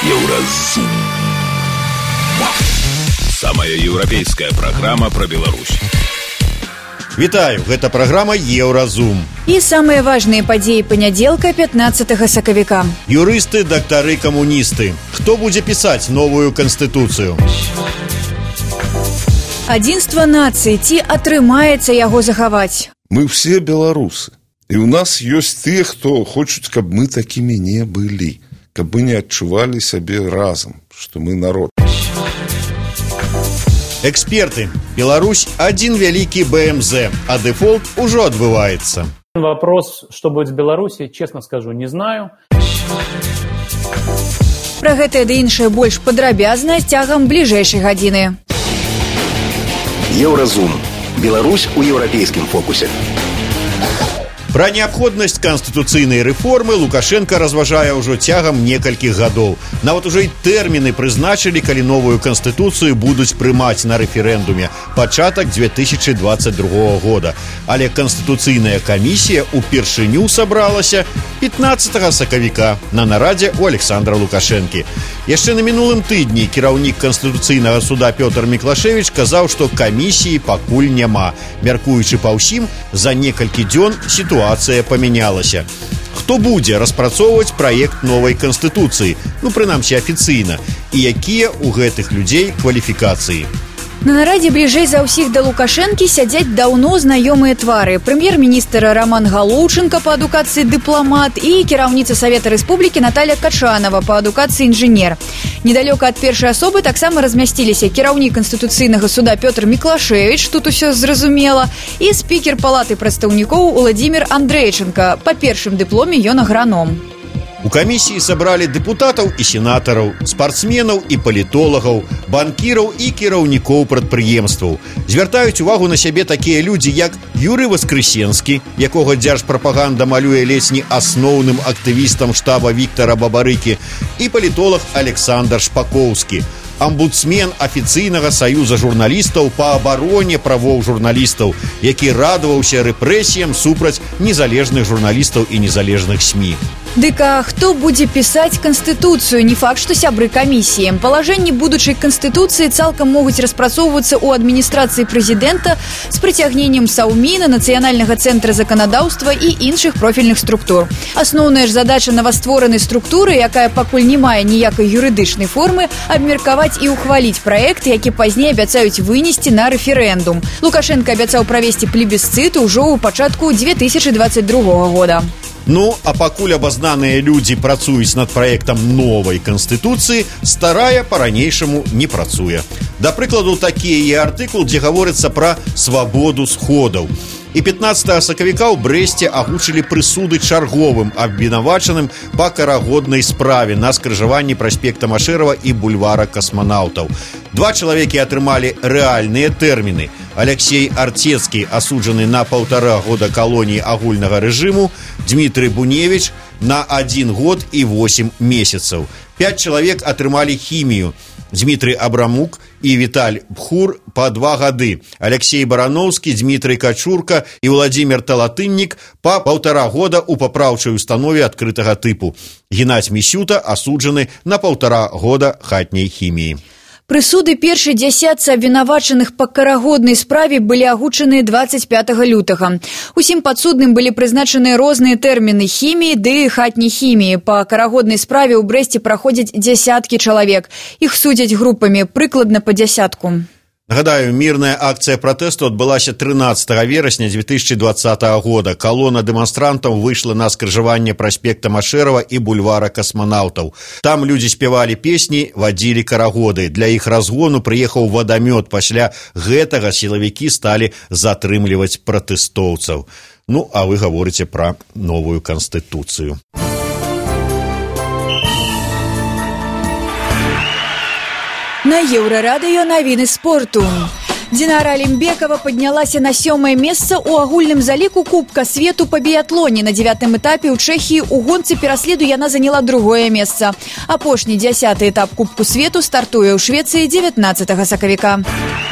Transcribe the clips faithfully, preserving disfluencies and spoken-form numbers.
Еўразум. Самая еўрапейская праграма пра Беларусь. Вітаю, гэта праграма Еўразум. І самыя важныя падзеі панядзелка пятнаццатага сакавіка. Юрысты, дактары, камуністы. Хто будзе пісаць новую канстытуцыю? Адзінства нацыі, ці атрымаецца яго захаваць? Мы все беларусы. І ў нас ёсць тыя, хто хочуць, каб мы такімі не былі, каб мы не адчувалі сябе разам, што мы народ. Эксперты. Беларусь – один великий БМЗ, а дефолт уже отбывается. Вопрос, что будет в Беларуси, честно скажу, не знаю. Пра гэтае ды іншае больш падрабязна з цягам бліжэйшай гадзіны. Еўразум. Беларусь у еўрапейскім фокусе. Пра неабходнасць канстытуцыйнай рэформы Лукашенко разважае ўжо цягам некалькіх гадоў. Нават ужо і тэрміны прызначылі, калі новую канстытуцыю будуць прымаць на рэферэндуме пачатак две тысячы двадцать другого года. Але канстытуцыйная камісія ўпершыню сабралася пятнаццатага сакавіка на нарадзе ў Александра Лукашэнкі. Яшчэ на мінулым тыдні кіраўнік Канстытуцыйнага суда Пётр Міклашевіч казаў, што камісіі пакуль няма. Мяркуючы па ўсім, за некалькі дзён сітуацыя памянялася. Хто будзе распрацоўваць праект новай канстытуцыі? Ну, прынамсі, афіцыйна. І якія ў гэтых людзей кваліфікацыі? На нарадзе бліжэй за ўсіх да Лукашэнкі сядзяць даўно знаёмыя твары. Прэм'ер-міністр Роман Галоўчынка па адукацыі дыпламат і кіраўніца Савета Рэспублікі Наталья Качанова па адукацыі інжынер. Недалёка ад першай асобы таксама размясціліся кіраўнік Канстытуцыйнага суда Пётр Міклашевіч, тут усё зразумела, і спікер палаты прадстаўнікоў Уладзімір Андрэйчынка. Па першым дыпломе ён аграном. У камісіі сабралі дэпутатаў і сенатараў, спартсменаў і палітолагаў, банкіраў і кіраўнікоў прадпрыемстваў. Звяртаюць увагу на сябе такія людзі, як Юрый Воскресенскі, якога дзяржпрапаганда малюе ледзь не асноўным актывістам штаба Віктара Бабарыкі, і палітолог Александр Шпакоўскі, амбудсмен афіцыйнага саюза журналістаў па абароне правоў журналістаў, які радаваўся рэпрэсіям супраць незалежных журналістаў і незалежных СМІ. Дык а хто будзе пісаць канстытуцыю? Не факт, што сябры камісіі. Палажэнні будучай канстытуцыі цалкам могуць распрацоўвацца ў адміністрацыі прэзідэнта з прыцягненнем Саўміна, Нацыянальнага цэнтра заканадаўства і іншых профільных структур. Асноўная ж задача новастворанай структуры, якая пакуль не мае ніякай юрыдычнай формы, абмеркаваць і ўхваліць праект, які пазней абяцаюць вынесці на рэферэндум. Лукашенко абяцаў правесці плебісцыт ужо ў пачатку две тысячы двадцать другого года. Ну, а пакуль абазнаныя людзі працуюць над праектам новай канстытуцыі, старая па-ранейшаму не працуе. Да прыкладу, такі яе артыкул, дзе гаворыцца пра свабоду сходаў. І пятнаццатага сакавіка ў Брэсце агучылі прысуды чарговым абвінавачаным па карагоднай справе на скрыжаванні праспекта Машэрава і бульвара касманаўтаў. Два чалавекі атрымалі рэальныя тэрміны. Алексей Артецкі, асуджаны на паўтара года калоніі агульнага рэжыму, Дмітрый Буневіч на адзін год і восем месяцаў. Пяць чалавек атрымалі хімію. Дмітрый Абрамук і Віталь Бхур па два гады. Алексей Барановскі, Дмітрый Качурка і Владзімир Талатыннік па паўтара года ў папраўчай установе адкрытага тыпу. Геннадзь Місюта асуджаны на паўтара года хатняй хіміі. Прысуды першай дзясятцы абвінавачаных па карагоднай справе былі агучаныя двадцать пятого лютага. Усім падсудным былі прызначаныя розныя тэрміны хіміі ды хатняй хіміі. Па карагоднай справе ў Брэсце праходзяць дзясяткі чалавек. Іх судзяць групамі, прыкладна па дзясятку. Нагадаю, мірная акцыя пратэсту адбылася трынаццатага верасня две тысячи двадцатого года. Калона дэманстрантаў выйшла на скрыжаванне праспекта Машэрава і бульвара касманаўтаў. Там людзі спявалі песні, вадзілі карагоды. Для іх разгону прыехаў вадамёт. Пасля гэтага сілавікі сталі затрымліваць пратэстоўцаў. Ну, а вы гаворыце пра новую канстытуцыю. На Еўрарадыё навіны спорту. Динара Алимбекова паднялася на сёмае месца ў агульным заліку Кубка свету па біятлоне. На дзявятым этапе ў Чэхіі у гонцы пераследу яна заняла другое месца. Апошні дзясяты этап Кубку свету стартуе ў Швецыі дзевятнаццатага сакавіка.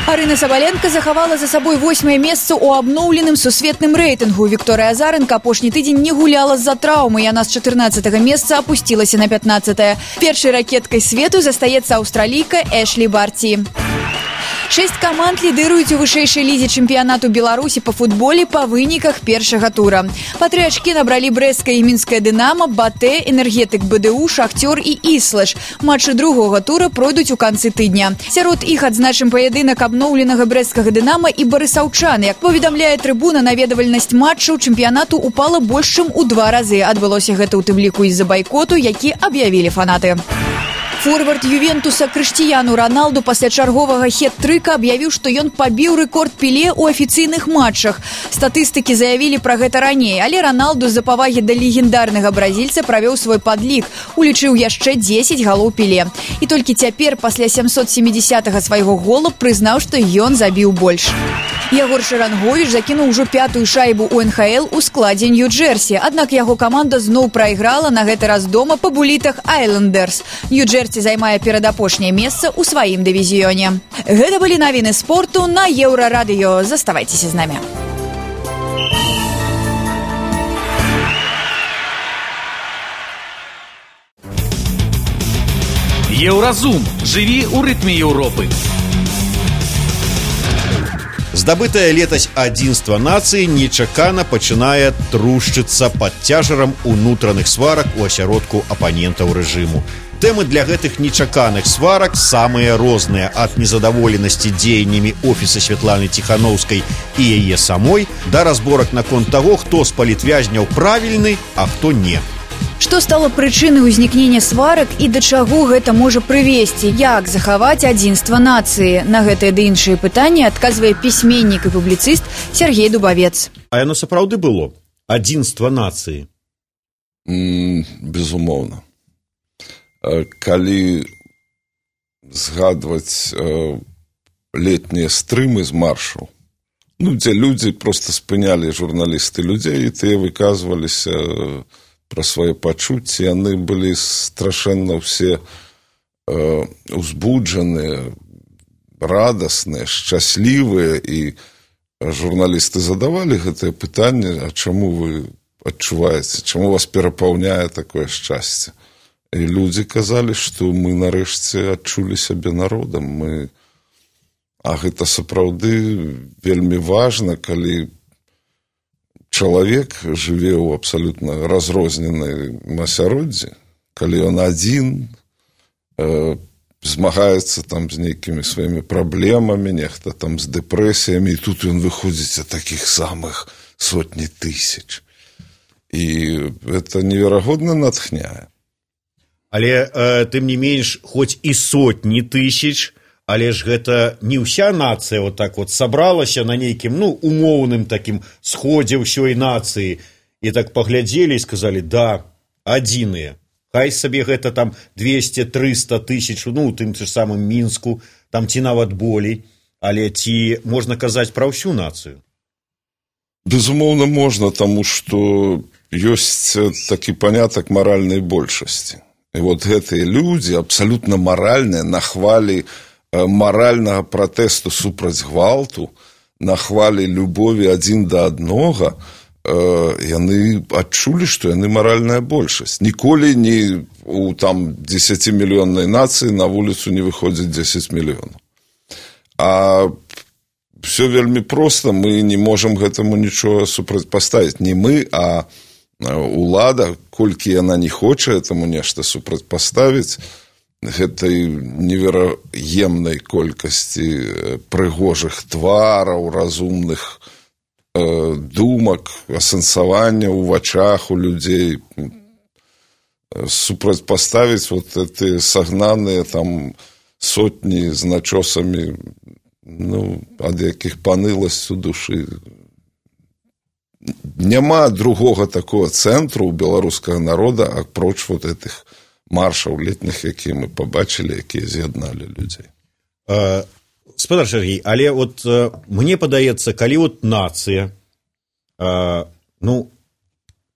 Арына Сабаленка захавала за сабой восьмае месца ў абноўленым сусветным рэйтынгу. Вікторыя Азарэнка апошні тыдзень не гуляла з-за траўмы. Яна з чатырнаццатага месца апусцілася на пятнаццатае. Першай ракеткай свету застаецца аўстралійка Эшлі Барці. Шэсць каманд лідыруюць у вышэйшай лізе чэмпіянату Беларусі па футболе па выніках першага тура. Па тры ачкі набралі брэсцкая і мінская Дынама, Батэ, Энергетык БДУ, Шахцёр і Іслэш. Матчы другога тура пройдуць у канцы тыдня. Сярод іх адзначым паядынак абноўленага брэсцкага Дынама і барысаўчан. Як паведамляе трыбуна, наведвальнасць матчаў чэмпіянату упала больш чым у два разы. Адбылося гэта ў тым ліку з-за байкоту, які аб'явілі фанаты. Форвард Ювентуса Крыштіяну Раналду пасля чарговага хет-трыка аб'явіў, што ён пабіў рэкорд Пеле ў афіцыйных матчах. Статыстыкі заявілі пра гэта раней, але Раналду з-за павагі да легендарнага бразільца правёў свой падлік, улічыў яшчэ дзесяць галоў Пеле. І толькі цяпер, пасля сямсот семідзесятага свайго гола, прызнаў, што ён забіў больш. Ягор Шаранговіч закінуў ужо пятую шайбу ў эн ха эл у складзе Нью-Джерсі, аднак яго каманда зноў прайграла, на гэты раз дома па булітах Айлендерс. Нью-Джерсі займае перадапошняе месца ў сваім дывізіёне. Гэта былі навіны спорту на Еўрарадыё. Заставайцеся з намі. Еўразум. Жыві ў рытме Еўропы. Здабытае летась адзінства нацыі нечакана пачынае трушчыцца пад цяжарам унутраных сварак у асяродку апанентаў рэжыму. Тэмы для гэтых нечаканых сварак самыя розныя, ад незадаволенасці дзеяннямі офіса Святланы Ціханаўскай і яе самой да разборак наконт таго, хто з палітвязняў правільны, а хто не. Што стала прычынай узнікнення сварак і да чаго гэта можа прывесці? Як захаваць адзінства нацыі? На гэтыя ды іншыя пытанні адказвае пісьменнік і публіцыст Сергей Дубавец. А яно сапраўды было? Адзінства нацыі? Mm, безумоўна. Калі згадваць э, летнія стрымы з маршаў, ну, дзе людзі проста спынялі журналісты людзей, і тыя выказваліся э, пра свае пачуцці, яны былі страшэнна ўсе э, узбуджаныя, радасныя, шчаслівыя, і журналісты задавалі гэтае пытанне, а чаму вы адчуваеце, чаму вас перапаўняе такое шчасце? І людзі казалі, што мы нарэшце адчулі сябе народам. Мы... А гэта сапраўды вельмі важна, калі чалавек жыве ў абсалютна разрозненай асяроддзі, калі ён адзін, э, змагаецца там з нейкімі сваімі праблемамі, нехта там з дэпрэсіямі, і тут ён выходзіць ад такіх самых сотні тысяч. І гэта неверагодна натхняе. Але, э, тым не менш, хоць і сотні тысяч, але ж гэта не ўся нацыя вот так вот сабралася на нейкім, ну, умоўным такім сходзе ўсёй нацыі. І так паглядзелі і сказалі, да, адзіныя. Хай сабе гэта там двесце-трыста тысяч, ну, у тым ж самым Мінску, там ці нават болей. Але ці можна казаць пра ўсю нацыю? Безумоўна, можна, таму што ёсць такі панятак маральнай большасці. І вот гэтыя людзі абсалютна маральныя на хвалі маральнага пратэсту супраць гвалту, на хвалі любові адзін да аднога, яны адчулі, што яны маральная большасць. Ніколі не у там дзесяцімільённай нацыі на вуліцу не выходзіць дзесяць мільёнаў. А все вельмі проста, мы не можам гэтаму нічога супрацьпаставіць. Не мы, а улада, колькі яна не хоча этаму нешта супрацьпаставіць, гэтай невераемнай колькасці прыгожых твараў, разумных э, думак, асэнсавання ў вачах у людзей, супрацьпаставіць вот эти сагнаныя там сотні з начосамі, ну, ад якіх паныласць у душы. Няма другога такого цэнтру ў беларускага народа, апроч вот этих маршаў летніх, якія мы пабачылі, якія з'ядналі людзей. спадар Сергей, але вот э, мне падаецца, калі вот нацыя э, ну,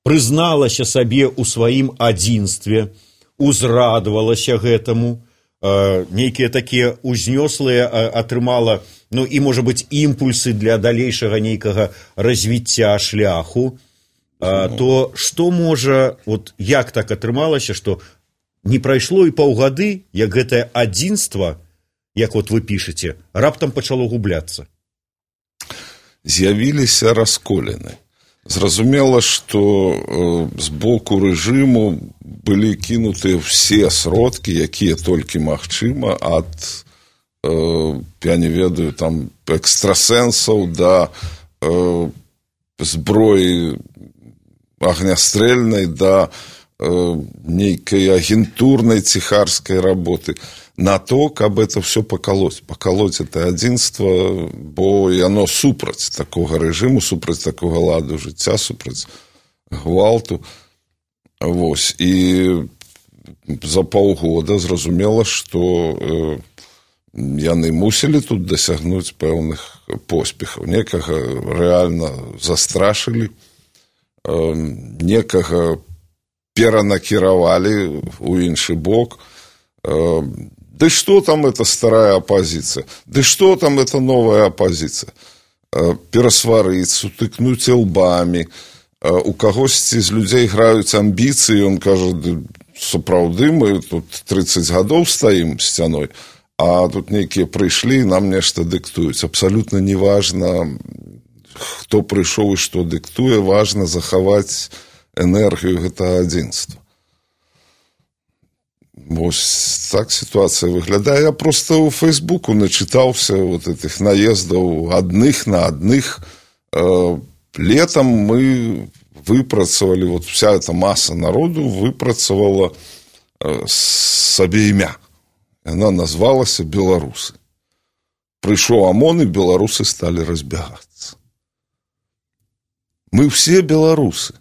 прызналася сабе ў сваім адзінстве, узрадавалася гэтаму, э, нейкія такія узнёслыя э, атрымала, ну і, можа быць, імпульсы для далейшага нейкага развіцця шляху, э, то што можа, вот як так атрымалася, што не прайшло і паўгады, як гэтае адзінства, як вот вы пішаце, раптам пачало губляцца? З'явіліся расколіны. Зразумела, што э, з боку рэжыму былі кінутыя ўсе сродкі, якія толькі магчыма, ад, э, я не ведаю, там, экстрасэнсаў да э, зброі агнястрэльнай, да э, нейкай агентурнай ціхарскай работы, на то, каб это все пакалоць. Пакалоць это адзінства, бо яно супраць такога рэжыму, супраць такога ладу жыцця, супраць гвалту. Вось. І за паўгода зразумела, што э, яны мусілі тут дасягнуць пэўных поспехаў. Некага рэальна застрашылі, э, некага перанакіравалі ў іншы бок. Э, Да что там эта старая оппозиция? Да что там эта новая оппозиция? Перасварыць, сутыкнуць лбамі. У кагосьці з людзей граюць амбіцыі, ён кажа, сапраўды, мы тут тридцать гадоў стаім сцяной, а тут нейкія прыйшлі і нам нешта дыктуюць. Абсалютна не важна, хто прыйшоў і што дыктуе, важна захаваць энергію гэтага адзінства. Вось так ситуация выглядае. Я просто у Фейсбуку начитался вот этих наездов одних на одних. Летом мы выпрацавали, вот вся эта масса народу выпрацавала сабе імя. Она назвалася «Беларусы». Пришел ОМОН, и белорусы стали разбегаться. Мы все белорусы.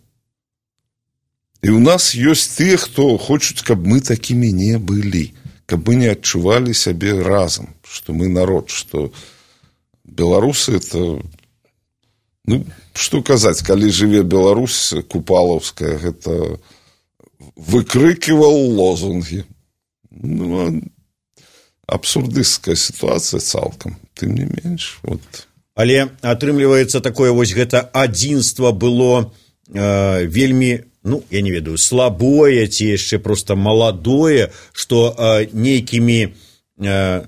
И у нас есть те, кто хочет, каб мы такими не были, каб мы не адчували сябе разом, что мы народ, что белорусы это, ну, что казаць, калі жыве Беларусь купалаўская, это выкрикивал лозунги. Ну, абсурдыстская ситуация цалкам, тым не менш. Вот. Але атрымліваецца такое вось гэта адзінства было э, вельмі, ну, я не ведаю, слабое, ці яшчэ просто маладое, што э, нейкімі э,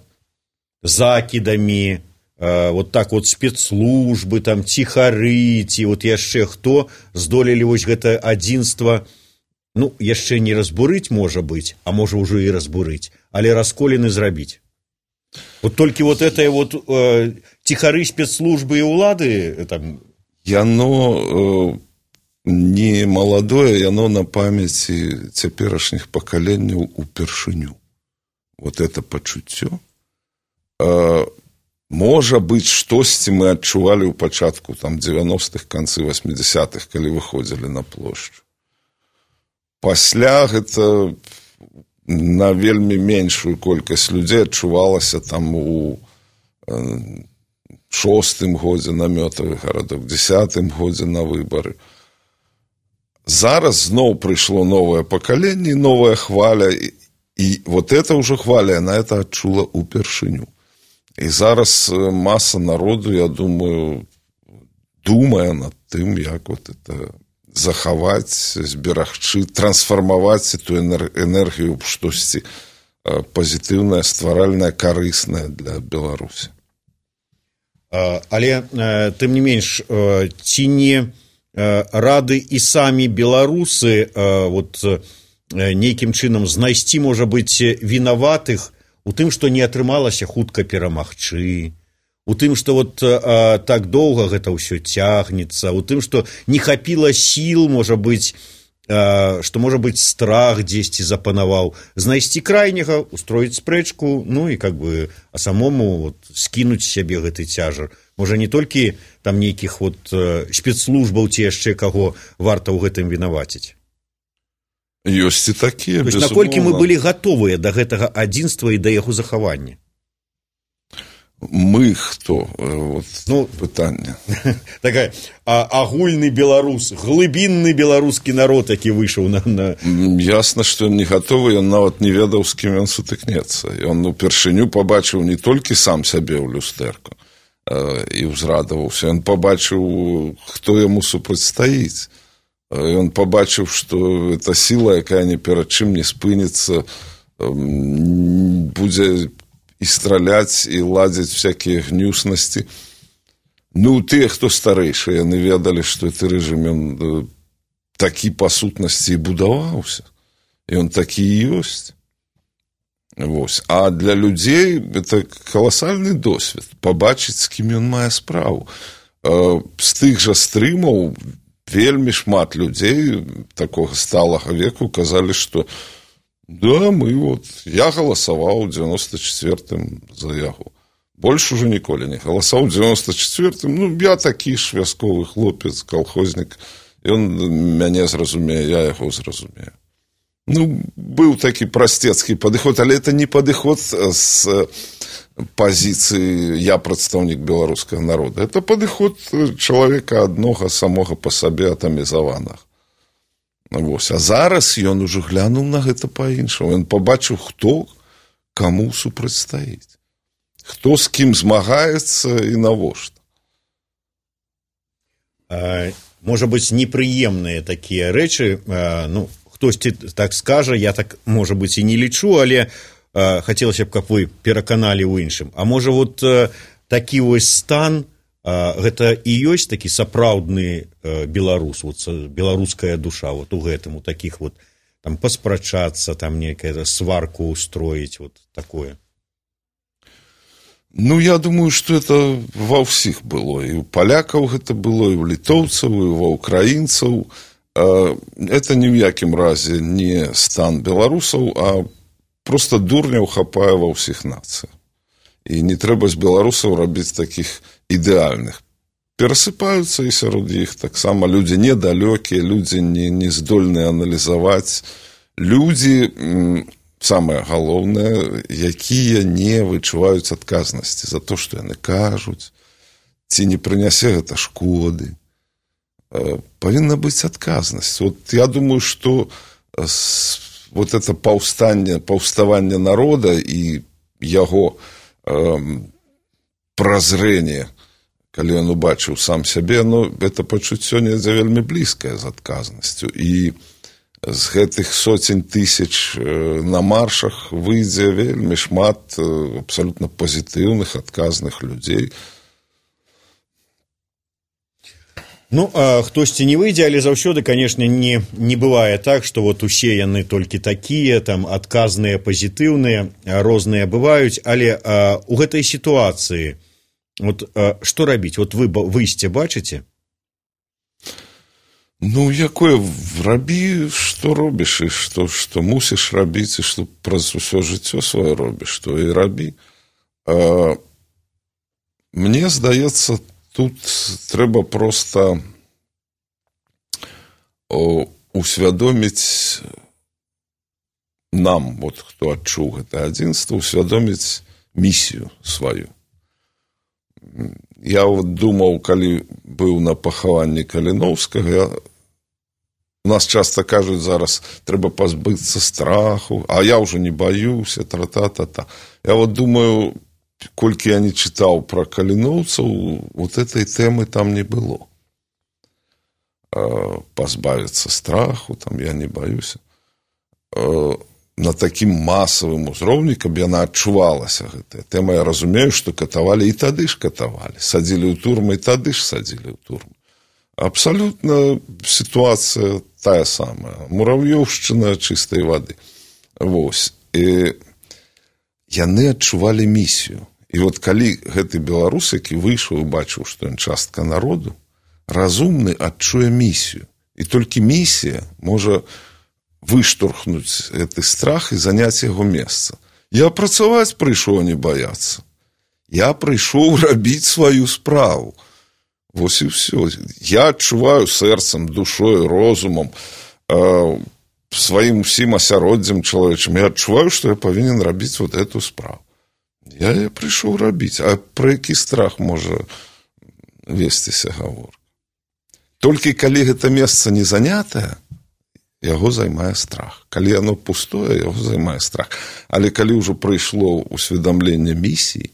закідамі, э, вот так вот спецслужбы, там, ціхары, ці вот яшчэ хто здолелі вось гэта адзінства, ну, яшчэ не разбурыць, можа быць, а можа ўжо і разбурыць, але расколіны зрабіць. Вот толькі вот это вот э, ціхары спецслужбы і ўлады там... Яно... Э... не маладое, яно на памяці цяперашніх пакаленняў упершыню. Вот это пачуццё. Э, можа быць, штосьці мы адчувалі ў пачатку там дзевяностых, канцы восьмидесятых, калі выходзілі на плошчу. Пасля гэта на вельмі меншую колькасць людзей адчувалася там у э, шостым годзе намётавы гарадок, дзесятым годзе на выбары. Зараз зноў прыйшло новое пакаленне, новая хваля, і, і вот это ўжо хваля, она это адчула упершыню. І зараз маса народу, я думаю, думае над тым, як вот это захаваць, зберагчы, трансфармаваць эту энергію ў штосьці пазітыўнае, стваральнае, карыснае для Беларусі. Але, тым не менш, ці не рады і самі беларусы вот нейкім чынам знайсці, можа быць, вінаватых у тым, што не атрымалася хутка перамагчы, у тым, што вот так доўга гэта ўсё цягнецца, у тым, што не хапіла сіл, можа быць, што, можа быць, страх дзесьці запанаваў, знайсці крайняга, устроіць спрэчку, ну і как бы, а самому вот, скінуць сябе гэты цяжар. Можа, не толькі там нейкіх вот спецслужбаў ці яшчэ каго варта ў гэтым вінаваціць. Ёсць і такія, безумоўна. Наколькі мы былі гатовыя да гэтага адзінства і да яго захавання? Мы хто? Вот, ну, пытанне. Такая, а, агульны беларус, глыбінны беларускі народ, які выйшаў на, на... Ясна, што ён не гатовы, ён нават не ведаў, з кім ён сутыкнецца. Ён упершыню пабачыў не толькі сам сябе ў люстэрку і ўзрадаваўся, ён пабачыў, хто яму супрацьстаіць. Ён пабачыў, што эта сіла, якая ні перад чым не спыніцца, будзе і страляць, і ладзіць всякія гнюснасці. Ну, тыя, хто старэйшы, яны ведалі, што гэты рэжым, ён такі па сутнасці і будаваўся. І ён такі і ёсць. Вось. А для людзей это каласальны досвед пабачыць, з кім ён мае справу. З тых жа стрымаў вельмі шмат людзей такога сталага веку казалі, што да, мы вот, я галасаваў у дзевяноста чацвёртым за яго. Больш ужо ніколі не галасаваў у дзевяноста чацвёртым. Ну, я такі ж вясковы хлопец, калхознік. Ён мяне зразумее, я яго зразумею. Ну, быў такі прасцецкі падыход, але это не падыход з пазіцыі «я прадстаўнік беларускага народа». Это падыход чалавека аднога самога па сабе атамізаванага. Вось. А зараз ён ужо глянуў на гэта па-іншаму. Ён пабачыў, хто каму супрацьстаіць. Хто з кім змагаецца і навошта. А, можа быць, непрыемныя такія рэчы, а, ну, хтосьці так скажа, я так, можа быць, і не лічу, але а, хацелася б, каб вы пераканалі ў іншым. А можа, вот а, такі вось стан, а, гэта і ёсць такі сапраўдны а, беларус, вот, беларуская душа, вот у гэтым, у такіх вот, там, паспрачацца, там, некая сварку устроіць, вот такое. Ну, я думаю, што это ва ўсіх было. І ў палякаў гэта было, і ў літоўцаў, і ва ўкраінцаў. Это ні ў якім разе не стан беларусаў, а проста дурняў хапае ва ўсіх нацыях. І не трэба з беларусаў рабіць такіх ідэальных. Перасыпаюцца і сярод іх таксама людзі недалёкія, людзі не, не здольныя аналізаваць, людзі, самае галоўнае, якія не вычуваюць адказнасці за то, што яны кажуць, ці не прынясе гэта шкоды. Павінна быць адказнасць. Вот я думаю, што вот это паўстанне, паўставанне народа і яго э, празрэнне, калі ён убачыў сам сябе, ну, это пачуццё недзе вельмі блізкае з адказнасцю. І з гэтых соцень тысяч на маршах выйдзе вельмі шмат абсалютна пазітыўных, адказных людзей. Ну, а хтосьці не выйдзе, але заўсёды, канешне, не, не бывае так, што вот усе яны толькі такія, там, адказныя, пазітыўныя, розныя бываюць, але а, у гэтай сітуацыі, вот, а, што рабіць? Вот вы выйсце бачыце? Ну, якое рабі, што робіш, і што, што мусіш рабіць, і што праз усё жыццё сваё робіш, то і рабі. А, мне здаецца, тут трэба проста усвядоміць нам, вот, хто адчуў гэта адзінства, усвядоміць місію сваю. Я вот думаў, калі быў на пахаванні Каліноўскага, я... у нас часта кажуць зараз, трэба пазбыцца страху, а я ўжо не баюся, тра-та-та-та. Я вот думаю, колькі я не чытаў пра каліноўцаў, вот этой тэмы там не было. Пазбавіцца страху, там я не баюся. На такім масавым узроўні, каб яна адчувалася гэтая тэма, я разумею, што катавалі, і тады ж катавалі. Садзілі ў турмы, і тады ж садзілі ў турмы. Абсалютна сітуацыя тая самая. Мурав'ёўшчына чыстай вады. Вось. І яны адчувалі місію. І вот калі гэты беларус, які выйшаў і бачыў, што ён частка народу, разумны адчуе місію. І толькі місія можа выштурхнуць гэты страх і заняць яго месца. Я працаваць прыйшоў, не баяцца. Я прыйшоў рабіць сваю справу. Вось і ўсё. Я адчуваю сэрцам, душой, розумам, э, сваім усім асяроддзям чалавечым. Я адчуваю, што я павінен рабіць вот эту справу. Я яе прыйшоў рабіць. А пра які страх можа весціся гаворка? Толькі калі гэта месца не занятае, яго займае страх. Калі яно пустое, яго займае страх. Але калі ўжо прыйшло усведамленне місіі,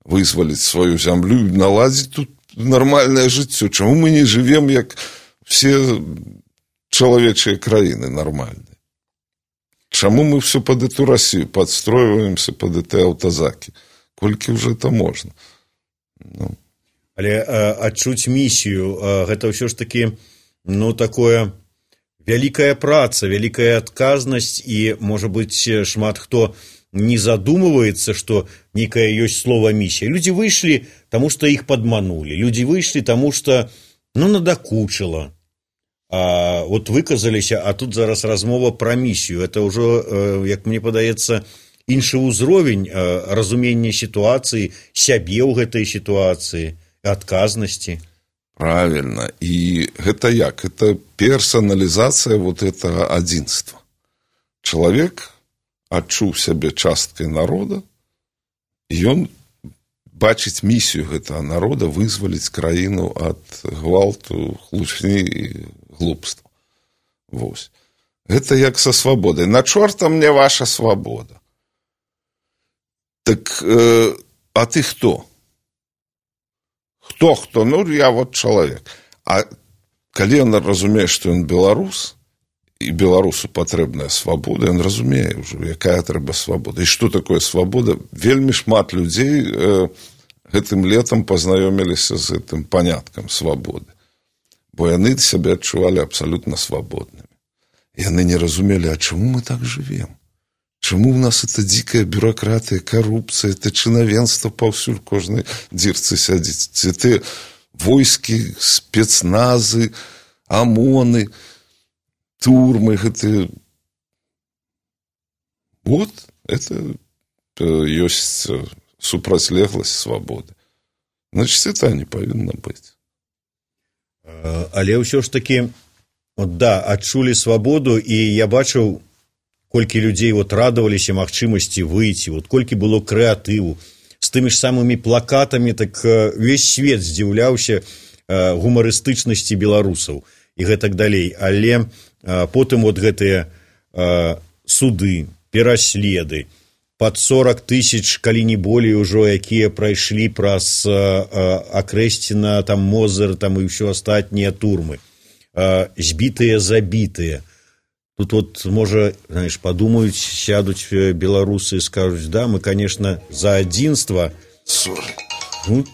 вызваліць сваю зямлю, наладзіць тут нармальнае жыццё. Чаму мы не жывем, як все чалавечыя краіны нармальныя? Чаму мы все под эту Россию подстроиваемся под эти аўтазакі? Колькі ўжо это можна? Ну. Але а, адчуць місію, а, гэта ўсё ж такі, ну, такое вялікая праца, вялікая адказнасць, і, можа быць, шмат хто не задумываецца, што нейкая ёсць слова місія. Людзі выйшлі, таму што іх падманулі. Людзі выйшлі, таму што, ну, надакучыла. А вот выказаліся, а тут зараз размова пра місію. Это ўжо, як мне падаецца, іншы ўзровень разумення сітуацыі, сябе ў гэтай сітуацыі, адказнасці. Правильно. І гэта як? Это персоналізацыя вот этого адзінства. Чалавек адчуў сябе часткай народа, і ён бачыць місію гэтага народа вызваліць краіну ад гвалту, хлусні і глупства. Вось. Гэта як са свабодай. На чорта мне ваша свабода. Так, э, а ты хто? Хто, хто? Ну, я вот чалавек. А калі ён разумее, што ён беларус, і беларусу патрэбная свабода, ён разумее ўжо, якая трэба свабода. І што такое свабода? Вельмі шмат людзей э, гэтым летам пазнаёміліся з гэтым паняткам свабоды. Бо яны сябе адчувалі абсалютна свабоднымі. Яны не разумелі, а чаму мы так жывем? Чаму у нас это дзікая бюракратыя, карупцыя, это чынавенства паўсюль кожнай дзірцы сядзіць. Це войскі, спецназы, ОМОНы, турмы, гэта... Вот, это ёсць супрацьлегласць свабоды. Значит, это не павінна быць. Але ўсё ж такі, от, да, адчулі свабоду, і я бачыў, колькі людзей вот радаваліся магчымасці выйти, вот колькі было крэатыву, з тымі ж самымі плакатамі, так увесь свет здзіўляўся гумарыстычнасці беларусаў і гэтак далей. Але потым вот гэтыя суды, пераследы, пад сорок тысяч, калі не болей ужо, якія прайшлі праз Акрэсціна, там Мозыр, там і ўсё астатнія турмы, збітыя, забітыя. Тут вот, можа, знаешь, подумаюць, сядуць беларусы і скажуць, да, мы, конечно, за адзінства. Тут.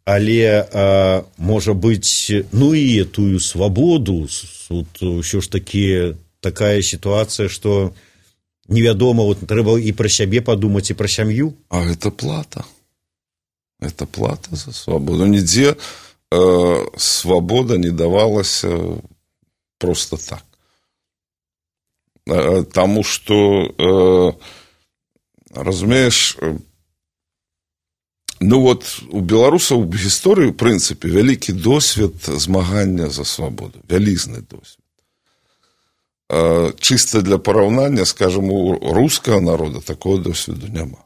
Але, а, можа быць, ну і тую свабоду, тут ўсё ж такі такая сітуацыя, што невядома, вот трэба і пра сябе падумаць, і пра сям'ю. А гэта плата. Это плата за свабоду. Нідзе свобода не давалась просто так. Тому что, разумеешь, ну вот у беларусаў в гісторыі, в прынцыпе, вялікі досвед змагання за свободу, вялізны досвед. Чисто для параўнання, скажем, у рускага народа такого досведу няма.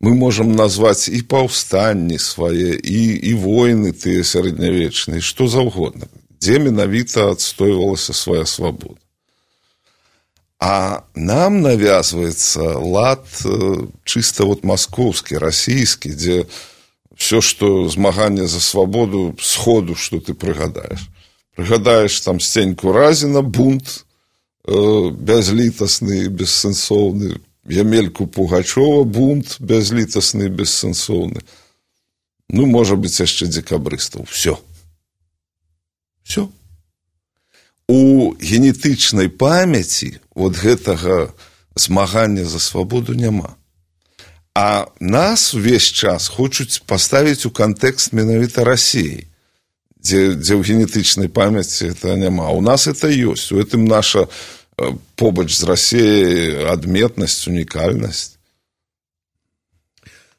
Мы можем назвать и паўстанні свае, и, и войны тыя сярэднявечныя, што заўгодна, дзе менавіта адстойвалася свая свабода. А нам навязваецца лад чисто вот маскоўскі, расійскі, дзе все, што змаганне за свабоду, сходу, што ты прыгадаеш. Прыгадаеш там Стеньку Разіна, бунт э, бязлітасны, бессэнсоўны, Ямельку Пугачова, бунт бязлітасны, бессэнсоўны. Ну, можа быць, яшчэ дзекабрыстаў. Все. Все. У генетычнай памяці вот гэтага змагання за свабоду няма. А нас увесь час хочуць паставіць у кантэкст менавіта Расіі, дзе, дзе ў генетычнай памяці это няма. У нас это ёсць. У гэтым наша побач з Расіяй адметнасць, унікальнасць.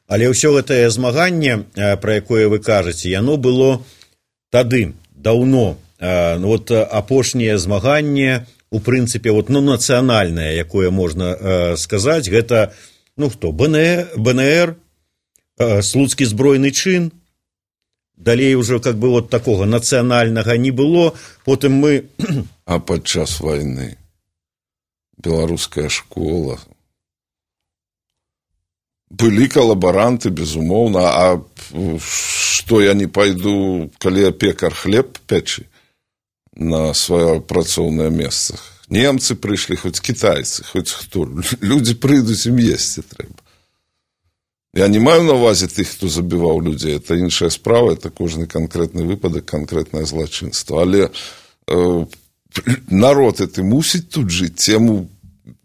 Але ўсё гэтае змаганне, пра якое вы кажаце, яно было тады, даўно. Ну, вот апошняе змаганне у прынцыпе вот, ну, нацыянальнае, якое можна э, сказаць, гэта ну хто БНР, э, слуцкі збройны чын. Далей уже как бы вот такого нацыянальнага не было. Потым мы... А падчас вайны беларуская школа, былі калабаранты, безумоўна. А што я не пайду, калі я пекар хлеб печы на сваё працоўнае месца? Немцы прыйшлі, хоць кітайцы, хоць хто. Людзі прыйдуць, ім есці трэба. Я не маю на ўвазе тых, хто забіваў людзей. Это іншая справа, это кожны канкрэтны выпадак, канкрэтнае злачынства. Але э, народ это мусіць тут жыць, яму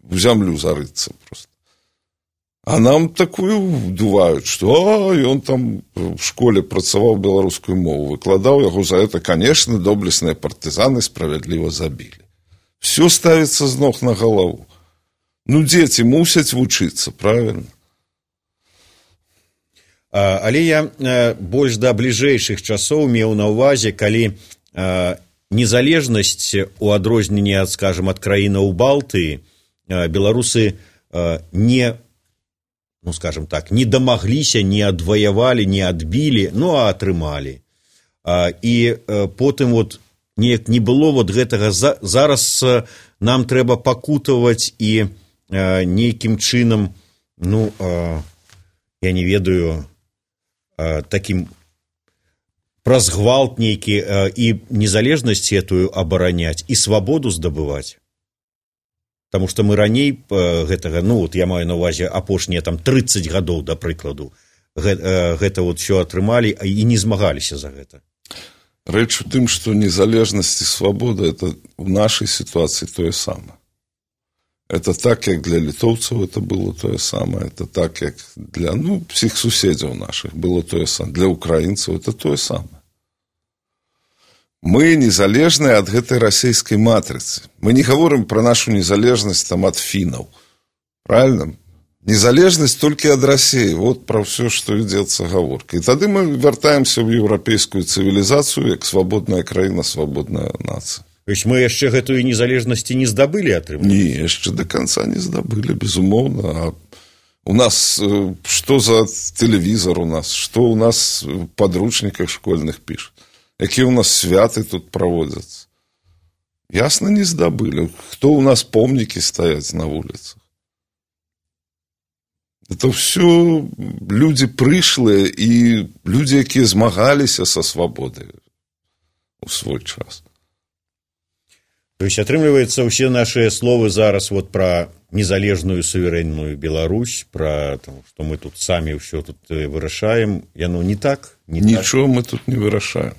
в зямлю зарыцца просто. А нам такую дуваюць, што а, ён там в школе працаваў беларускую мову, выкладаў яго за это, конечно, доблесныя партызаны справядліва забілі. Все ставіцца з ног на галаву. Ну, дзеці мусяць вучыцца, правильно? Але я больш да бліжэйшых часоў меў на ўвазе, калі незалежнасць у адрозненні ад, скажем, ад краінаў Балтыі беларусы не, ну, скажем так, не дамагліся, не адваявалі, не адбілі, ну, а атрымалі. І потым вот неяк не было вот гэтага, зараз нам трэба пакутаваць і нейкім чынам, ну, я не ведаю, таким праз гвалт нейкі і незалежнасць этую абараняць і свабоду здабываць. Таму што мы раней гэтага, ну вот я маю на ўвазе апошнія там трыццаць гадоў, да прыкладу, гэта вот все атрымалі і не змагаліся за гэта. Рэч у тым, што незалежнасць і свабода это в нашай сітуацыі тое самае. Это так, як для літоўцаў это было тое самае, это так, як для, ну, всіх суседзяў нашых было тое самае, для украінцаў это тое самае. Мы незалежныя ад гэтай расійскай матрыцы. Мы не гаворым пра нашу незалежнасць там ад фінаў. Правильно? Незалежнасць толькі ад Расіі. Вот пра ўсё, што ідзецца гаворка. І тады мы вяртаемся ў еўрапейскую цывілізацыю, як свабодная краіна, свабодная нацыя. То есть мы яшчэ гэтую незалежнасці не здабылі атрымаць? Не, яшчэ до конца не здабылі, безумоўна. А у нас што за тэлевізор у нас, што у нас в падручніках школьных пішуць, якія у нас святы тут праводзяцца. Ясна, не здабылі. Хто у нас помнікі стаяць на вуліцах? Это ўсё людзі прышлыя і людзі, якія змагаліся са свабодай у свой час. То есть, атрымліваецца, ўсе нашыя словы зараз вот пра незалежную суверэнную Беларусь, пра там, што мы тут самі ўсё тут вырашаем, яно не так? Не Нічого так? Мы тут не вырашаем.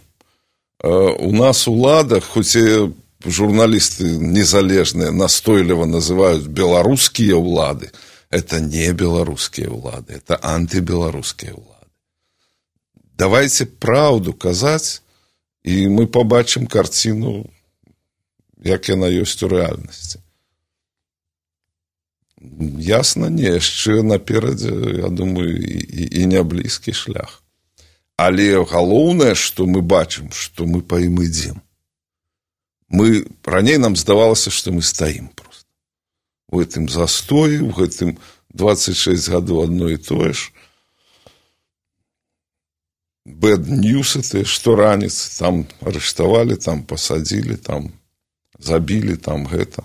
У нас улада, хоць і журналісты незалежныя настойліва называюць беларускія ўлады, это не беларускія ўлады, это антыбеларускія ўлады. Давайте праўду казаць, і мы пабачым карціну, як яна ёсць у рэальнасці. Ясна, не, яшчэ наперадзе, я думаю, і, і не блізкі шлях. Але галоўнае, што мы бачым, што мы па ім ідзем. Мы, раней нам здавалася, што мы стаім проста. У гэтым застоі, у гэтым дваццаць шэсць гадоў адно і тое ж. Bad news это, што раніц, там арыштавалі, там пасадзілі, там забілі, там гэта.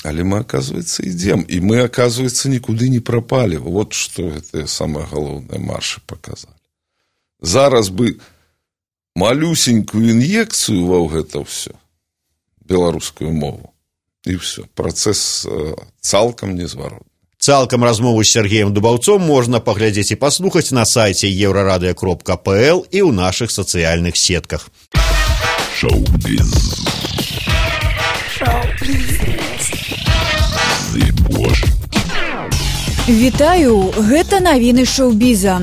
Але мы, оказывается, ідзем. І мы, оказывается, нікуды не прапалі. Вот што гэтыя самыя галоўныя маршы паказалі. Зараз бы малюсенькую ін'екцыю ва гэта ўсё, беларускую мову, і ўсё. Працэс цалкам незваротны. Цалкам размову з Сергеем Дубаўцом можна паглядзець і паслухаць на сайце еўрарадыё кропка пэ эл і ў нашых сацыяльных сетках. Шоу-біз. Вітаю, гэта навіны шоу-біза.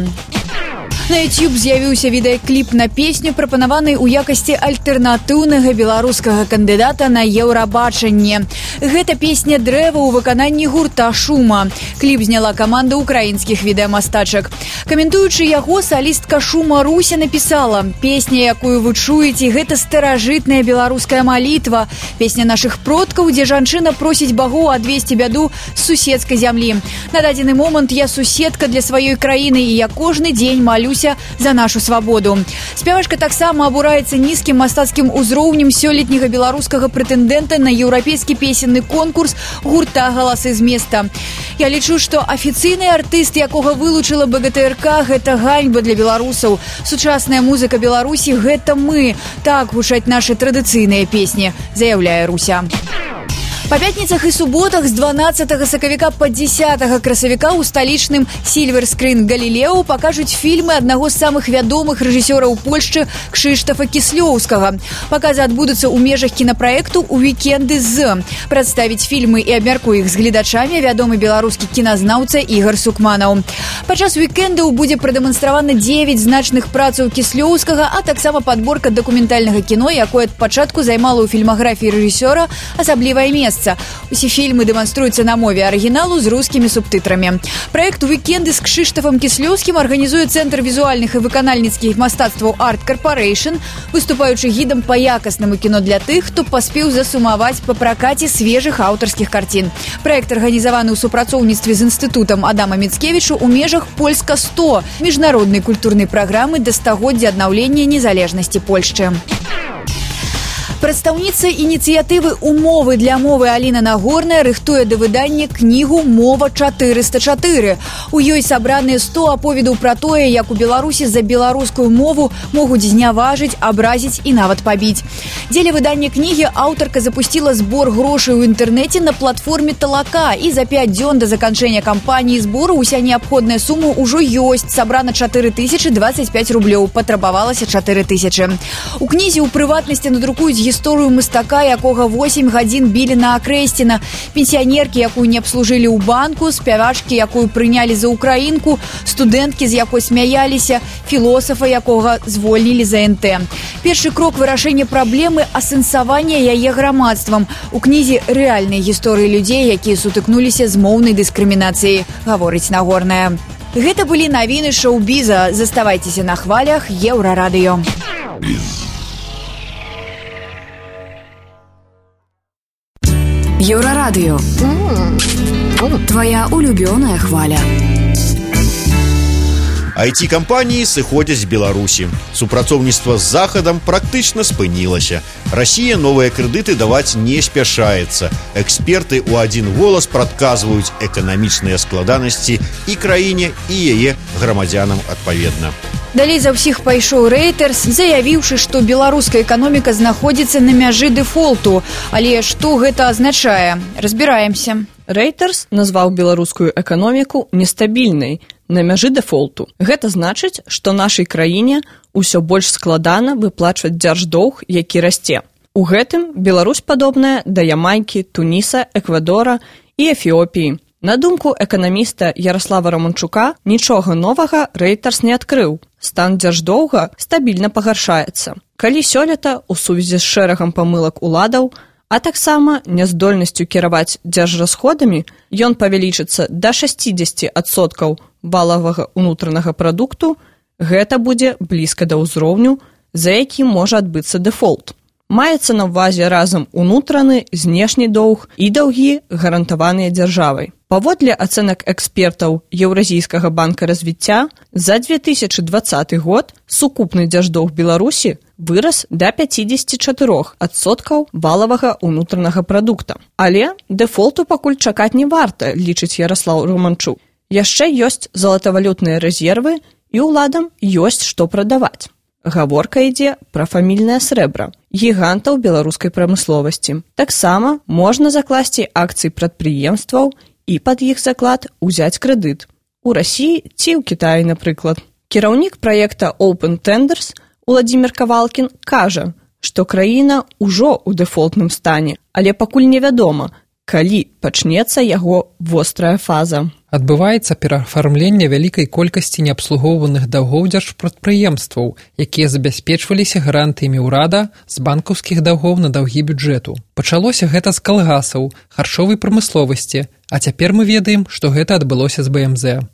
На YouTube з'явіўся відэакліп на песню, прапанаваны ў якасці альтэрнатыўнага беларускага кандыдата на Еўрабачанне. Гэта песня «Дрэва» ў выкананні гурта «Шума». Кліп зняла каманда украінскіх відэамастачак. Каментуючы яго, салістка «Шума» Руся напісала: «Песня, якую вы чуеце, гэта старажытная беларуская малітва. Песня нашых продкаў, дзе жанчына просіць багоў адвесці бяду з суседскай зямлі. На дадзены момант я суседка для сваёй краіны, і я кожны дзень малюся за нашу свабоду». Спявачка таксама абураецца нізкім мастацкім узроўнем сёлетняга беларускага прэтэндэнта на еўрапейскі песенны конкурс гурта «Галасы з места». Я лічу, што афіцыйны артыст, якога вылучыла бэ гэ тэ эр ка, гэта ганьба для беларусаў. Сучасная музыка Беларусі – гэта мы. Так гучаць нашы традыцыйныя песні, заяўляе Руся. Па пятніцах і суботах з дванаццатага сакавіка па дзесятага красавіка ў сталічным Silver Screen Галілео пакажуць фільмы аднаго з самых вядомых рэжысёраў Польшчы Кшыштафа Кіслёўскага. Паказы адбудуцца ў межах кінапраекту ў вікенды з. Прадставіць фільмы і абмярку іх з гледачамі вядомы беларускі кіназнаўца Ігар Сукманаў. Падчас вікендаў будзе прадэманстравана дзевяць значных працаў Кіслёўскага, а таксама падборка дакументальнага кіно, якое ад пачатку займала ў фільмаграфіі рэжысёра асаблівае месца. Усе фільмы дэманструюцца на мове арыгіналу з рускімі субтытрамі. Праект «Уікенды» з Кшыштафам Кіслёўскім арганізуе Цэнтр візуальных і выканальніцкіх мастацтваў Art Corporation, выступаючы гідам па якаснаму кіно для тых, хто паспеў засумаваць па пракаце свежых аўтарскіх карцін. Праект арганізаваны ў супрацоўніцтве з інстытутам Адама Міцкевічу ў межах Польска сто міжнароднай культурнай праграмы да стагоддзя аднаўлення незалежнасці Польшчы. Прадстаўніца ініцыятывы «Умовы для мовы» Аліна Нагорная рыхтуе да выдання кнігу «Мова чатырыста чатыры». У ёй сабраныя сто аповедаў пра тое, як у Беларусі за беларускую мову могуць зняважыць, абразіць і нават пабіць. Дзеля выдання кнігі аўтарка запусціла збор грошай у інтэрнэце на платформе «Талака», і за пяць дзён да заканчэння кампаніі збору ўся неабходная сума ўжо ёсць. Сабрана чатыры тысячы дваццаць пяць рублёў, патрабавалася чатыры тысячы. У кнізе ў прыватнасці надрукуюць гісторыю мастака, якога восем гадзін білі на акрэсціна, пенсіянеркі, якую не абслужылі ў банку, спявачкі, якую прынялі за украінку, студэнткі, з якой смяяліся, філосафа, якога звольнілі за эн тэ. Першы крок вырашэння праблемы – асэнсавання яе грамадствам. У кнізе рэальныя гісторыі людзей, якія сутыкнуліся з моўнай дыскрымінацыяй, гаворыць Нагорная. Гэта былі навіны шоу-біза. Заставайцеся на хвалях Еўрарадыё. Еўрарадыё. Твоя улюбёная хваля. ай ти-кампаніі сыходзяць з Беларусі. Супрацоўніцтва з Захадам практычна спынілася. Расія новыя крэдыты даваць не спяшаецца. Эксперты ў адзін голас прадказваюць эканамічныя складанасці і краіне, і яе грамадзянам адпаведна. Далей за ўсіх пайшоў Reuters, заявіўшы, што беларуская эканоміка знаходзіцца на мяжы дэфолту. Але што гэта азначае? Разбіраемся. Reuters назваў беларускую эканоміку нестабільнай, на мяжы дэфолту. Гэта значыць, што нашай краіне ўсё больш складана выплачваць дзярждоўг, які расце. У гэтым Беларусь падобная да Ямайкі, Туніса, Эквадора і Эфіопіі. На думку эканаміста Ярослава Романчука, нічога новага Reuters не адкрыў. Стан дзярждоўга стабільна пагаршаецца. Калі сёлета ў сувязі з шэрагам памылак уладаў, а таксама няздольнасцю кіраваць дзяржрасходамі, ён павялічыцца да шэсцідзесят адсоткаў валавага ўнутранага прадукту, гэта будзе блізка да ўзроўню, за якім можа адбыцца дэфолт. Маецца на ўвазе разам унутраны, знешні доўг і даўгі, гарантаваныя дзяржавай. Паводле ацэнак экспертаў Еўразійскага банка развіцця, за две тысячы дваццаты год сукупны дзярждоўг Беларусі вырас да пяцідзесят чатыры адсоткаў валавага ўнутранага прадукта. Але дэфолту пакуль чакаць не варта, лічыць Ярослаў Романчук. Яшчэ ёсць залатавалютныя рэзервы, і ўладам ёсць што прадаваць. Гаворка ідзе пра фамільнае срэбра, гігантаў беларускай прамысловасці. Таксама можна закласці акцыі прадпрыемстваў і пад іх заклад узяць крэдыт. У Расіі ці ў Кітаі, напрыклад. Кіраўнік праекта Open Tenders Уладзімір Кавалкін кажа, што краіна ўжо ў дэфолтным стане, але пакуль невядома, калі пачнецца яго вострая фаза. Адбываецца пераафармленне вялікай колькасці неабслугоўваных даўгоў дзяржпрадпрыемстваў, якія забяспечваліся гарантыямі ўрада з банкаўскіх даўгоў на даўгі бюджэту. Пачалося гэта з калгасаў, харчовай прамысловасці, а цяпер мы ведаем, што гэта адбылося з бэ эм зэ.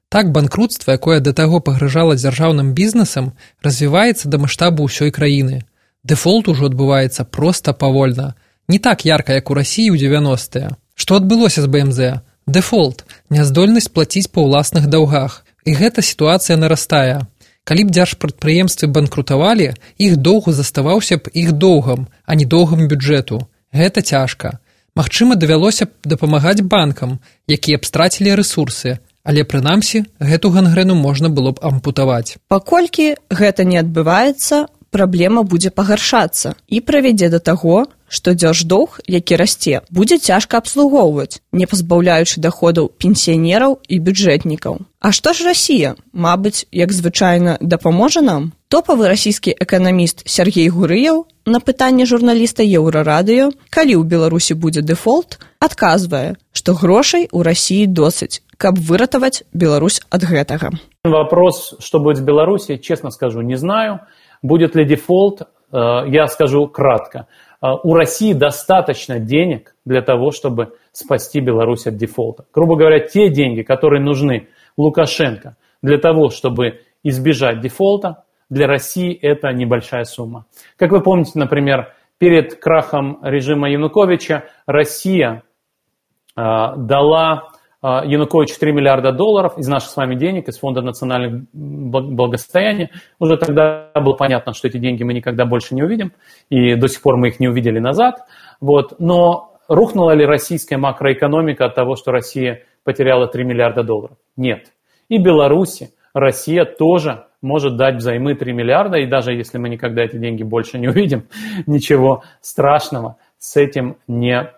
Так банкрутства, якое да таго пагражала дзяржаўным бізнесам, развіваецца да маштабу ўсёй краіны. Дэфолт ужо адбываецца проста павольна. Не так ярка, як у Расіі ў дзевяностыя. Што адбылося з бэ эм зэ? Дэфолт – няздольнасць плаціць па ўласных даўгах. І гэта сітуацыя нарастае. Калі б дзяржпрадпрыемствы банкрутавалі, іх доўг заставаўся б іх доўгам, а не доўгам бюджэту. Гэта цяжка. Магчыма, давялося б дапамагаць банкам, якія б страцілі рэсурсы, але, прынамсі, гэту гангрэну можна было б ампутаваць. Паколькі гэта не адбываецца, праблема будзе пагаршацца і прывядзе да таго, што дзярждоўг, які расце, будзе цяжка абслугоўваць, не пазбаўляючы даходаў пенсіянераў і бюджэтнікаў. А што ж Расія? Мабыць, як звычайна, дапаможа нам? Топавы расійскі эканаміст Сергей Гурыяў на пытанне журналіста Еўрарадыё, калі ў Беларусі будзе дэфолт, адказвае, што грошай у Расіі досыць, каб выратаваць Беларусь ад гэтага. Вопрос, что будет в Беларуси, честно скажу, не знаю. Будет ли дефолт, я скажу кратко. У России достаточно денег для того, чтобы спасти Беларусь от дефолта. Грубо говоря, те деньги, которые нужны Лукашенко для того, чтобы избежать дефолта, для России это небольшая сумма. Как вы помните, например, перед крахом режима Януковича Россия дала Януковичу три миллиарда долларов из наших с вами денег, из Фонда национального благосостояния. Уже тогда было понятно, что эти деньги мы никогда больше не увидим, и до сих пор мы их не увидели назад. Вот. Но рухнула ли российская макроэкономика от того, что Россия потеряла три миллиарда долларов? Нет. И Беларуси, Россия тоже может дать взаймы три миллиарда, и даже если мы никогда эти деньги больше не увидим, ничего страшного с этим не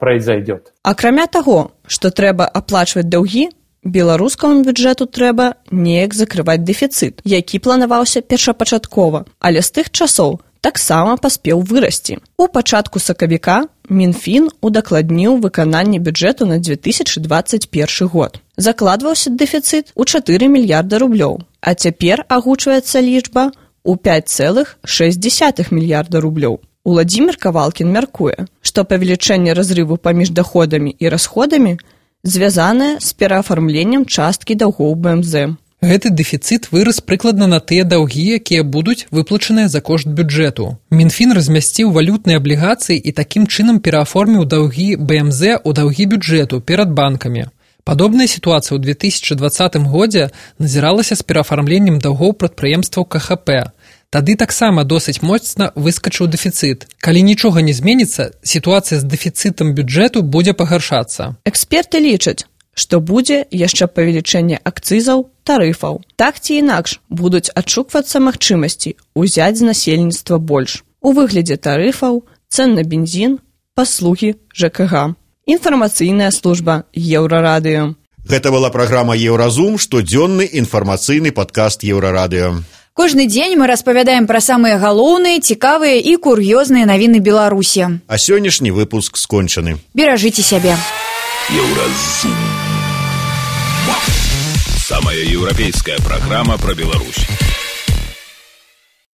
произойдет. Акрамя таго, што трэба аплачваць даўгі, беларускаму бюджэту трэба неяк закрываць дэфіцыт, які планаваўся першапачаткова, але з тых часоў таксама паспеў вырасці. У пачатку сакавіка Мінфін удакладніў выкананне бюджэту на две тысячи двадцать першы год. Закладваўся дэфіцыт у чатыры мільярда рублёў, а цяпер агучваецца лічба ў пять цэлых шэсць дзесятых мільярда рублёў. Уладзімір Кавалкін мяркуе, што павелічэнне разрыву паміж даходамі і расходамі звязанае з пераафармленнем часткі даўгоў бэ эм зэ. Гэты дэфіцыт вырас прыкладна на тыя даўгі, якія будуць выплачаныя за кошт бюджэту. Мінфін размясціў валютныя аблігацыі і такім чынам перааформіў даўгі бэ эм зэ ў даўгі бюджэту перад банкамі. Падобная сітуацыя ў две тысячи двадцатым годзе назіралася з пераафармленнем даўгоў прадпрыемстваў ка ха пэ. Тады таксама досыць моцна выскачыў дэфіцыт. Калі нічога не зменіцца, сітуацыя з дэфіцытам бюджэту будзе пагаршацца. Эксперты лічаць, што будзе яшчэ павелічэнне акцызаў, тарыфаў. Так ці інакш будуць адшуквацца магчымасці ўзяць з насельніцтва больш. У выглядзе тарыфаў, цэн на бензін, паслугі жэ ка га. Інфармацыйная служба Еўрарадыё. Гэта была праграма «Еўразум», штодзённы інфармацыйны падкаст Еўрарадыё. Кожны дзень мы распавядаем пра самыя галоўныя, цікавыя і кур'ёзныя навіны Беларусі. А сённяшні выпуск скончаны. Беражыце сябе. Еўразум. Самая еўрапейская праграма пра Беларусь.